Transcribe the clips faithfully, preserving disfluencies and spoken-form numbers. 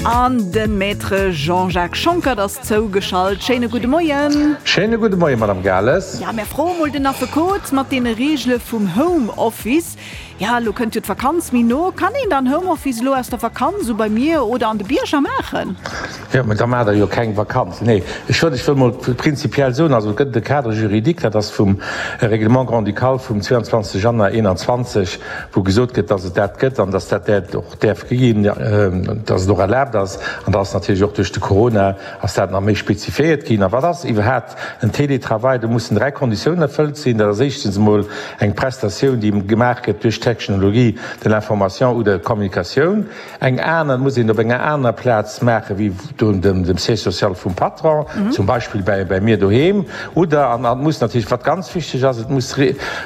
An de Maître Jean-Jacques Schonckert ass zougeschalt. Schéine gudde Moien. Schéine gudde Moien, Madame Gales. Ja, mir froe mol den Affekot mat deene Reegele vum Homeoffice. Ja, elo kënnt jo d'Vakanz méi no. Kann een dann Homeoffice elo aus der Vakanz, esou bei mir oder an de Bierger maachen? Jo, mä da maacht Der jo keng Vakanz. Nee, ech wëll, ech wëll mol prinzipiell soen, also et gëtt e Cadre juridique, dat ass vum Règlement grand-ducal vum zweiundzwanzeg Januar eenanzwanzeg, wou gesot gëtt, dass et dat gëtt an dass dat dat och däerf ginn, dass et och erlaabt ass. An da ass natierlech och duerch de Corona ass dat nach méi spezifiéiert ginn. A wat ass iwwerhaapt en Télétravail? Do mussen dräi Konditiounen erfëllt sinn. Dat ass éischtens emol eng Prestatioun, déi gemaach gëtt duerch d'Technologie de l'information ou de communication. Eng aner muss een op enger anerer Plaz maache wéi dem Siège social vum Patron, zum Beispill bäi mir doheem. Oder, an et muss natierlech, wat ganz wichteg ass, et muss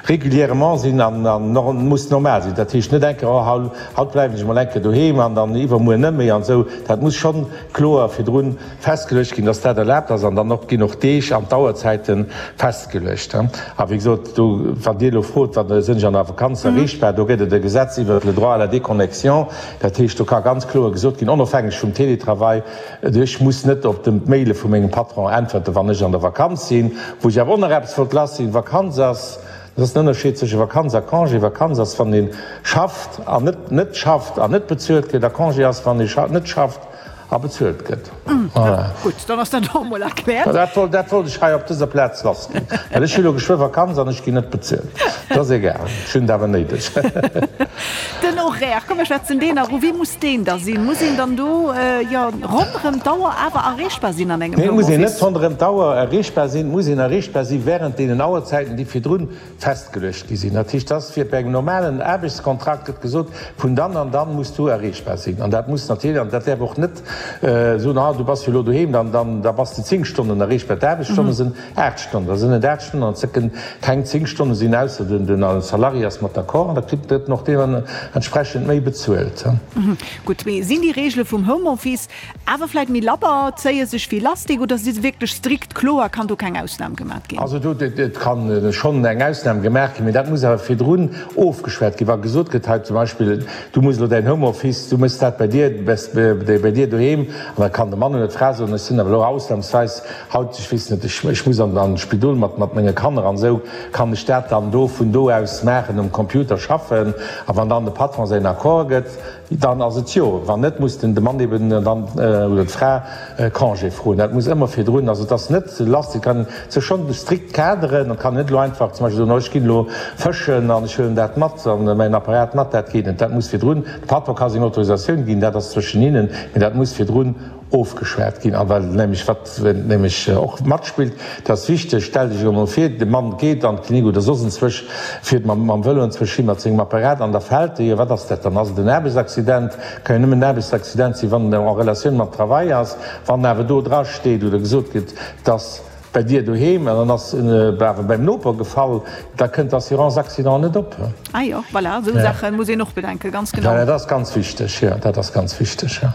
régulièrement sinn an muss normal sinn. Dat heescht net eng Kéier, oh haut bleiwen ech emol eng Kéier doheem an dann iwwermuer net méi an esou. Dat muss schonn kloer virdrun festgeluecht ginn, dass dat erlaabt ass. An dann och ginn och d'Deeg an d'Auerzäite festgeluecht. A wéi gesot, do, wann Dir elo frot, wat sinn ech an der Vakanz erreechbar, do gëtt et e Gesetz iwwert le droit à la déconnexion. Dat heescht, do ka ganz kloer gesot ginn, onofhängeg vum Télétravail, ech muss net op d'Maile vu mengem Patron äntwerten, wann ech an der Vakanz sinn. Wou ech awer och nach eppes wollt lassinn, Vakanz ass, dat ass den Ënnerscheed zwësche Vakanz a Congé, Vakanz ass, wann ee schafft an net net schafft an net bezuelt gëtt, a Congé ass, wann ee net schafft a bezuelt gëtt. Voilà. Gutt, dann ass dat och emol erkläert. Dat wollt, dat wollt ech hei op dëser Plaz lassginn, well ech hu lo geschwë Vakanz an ech ginn net bezuelt. Dat ass egal, ech hunn et awer néideg. Den Horaire, komm mir schwätzen deen nach u. Wéi muss deen da sinn? Muss een dann do, jo, ronderëm d'Auer awer erreechbar sinn an engem Nee, et muss een net Homeoffice? ronderëm d'Auer erreechbar sinn. Et muss een erreechbar si während deenen Auerzäiten, déi virdrun festgeluecht gi sinn. Dat heescht, dass fir bei engem normalen Aarbechtskontrakt gëtt gesot, vun dann an dann muss du erreechbar sinn. An dat muss natierlech, an dat däerf och net soen, ah du bass jo elo doheem, dann, dann, da bass de zéng Stonnen erreechbar. D'Aarbechtsstonne sinn aacht Stonnen, da sinn et aacht Stonnen an et kënnen keng zéng Stonne sinn, ausser den, den Salarié ass mat d'accord an da kritt en och deementsprechend méi bezuelt. Gutt, mee sinn déi Reegele vum Homeoffice Awer vläit méi labber, zéie sech wéi Lastik oder si se wierklech strikt kloer, kann do keng Ausnam gemat ginn? Also do, et ka schonn eng Ausnam gemaach ginn, mee dat muss awer virdrun ofgeschwat ginn. Wa gesot gëtt hei zum Beispill, du muss elo däin Homeoffice, du méchs dat bei dir, bei dir doheem, an da kann de Mann oder d'Fra soen, ech sinn awer elo ausnamsweis haut, ech weess net, ech muss an d'Spidol mat mat menge Kanner an esou, kann ech dat dann do vun do aus maachen, um Computer schaffen? A wann dann de Patron säin Accord gëtt, Dann ass et jo. Wann net, muss den de Mann eben dann oder d'Fra Congé froen. Dat muss ëmmer virdrun. Also et ass net lass. Et kann sech schonn strikt kaderen. Et kann net elo einfach zum Beispill soen, oh ech ginn elo fëschen an ech huelen dat mat an mäin Apparat mat. Dat geet net. Dat muss virdrun, de Patron ka seng Autorisatioun ginn, dat ass zwëschen hinnen, mee dat muss virdrun ofgeschwat ginn. A well nämlech, wat nämlech och matspillt, dat ass wichteg, stellt Iech elo emol vir, de Mann geet an d'Klinik oder soss enzwousch, fiert mam mam Vëlo enzwousch hin mat sengem Apparat an da fält e. Jo, wat ass dat dann? Ass et en Aarbechtsaccident? Ka jo nëmmen en Aarbechtsaccident sinn, wann en en Relatioun mam Travail ass. Wann awer do drasteet oder gesot gëtt, dass bei dir doheem an dann ass en awer beim Noper gefall, da kënnt d'Assurance accident net op. Ah jo, voilà, esou Saache muss een och bedenken, ganz genau. Dat ass ganz wichteg, jo, dat ass ganz wichteg, jo.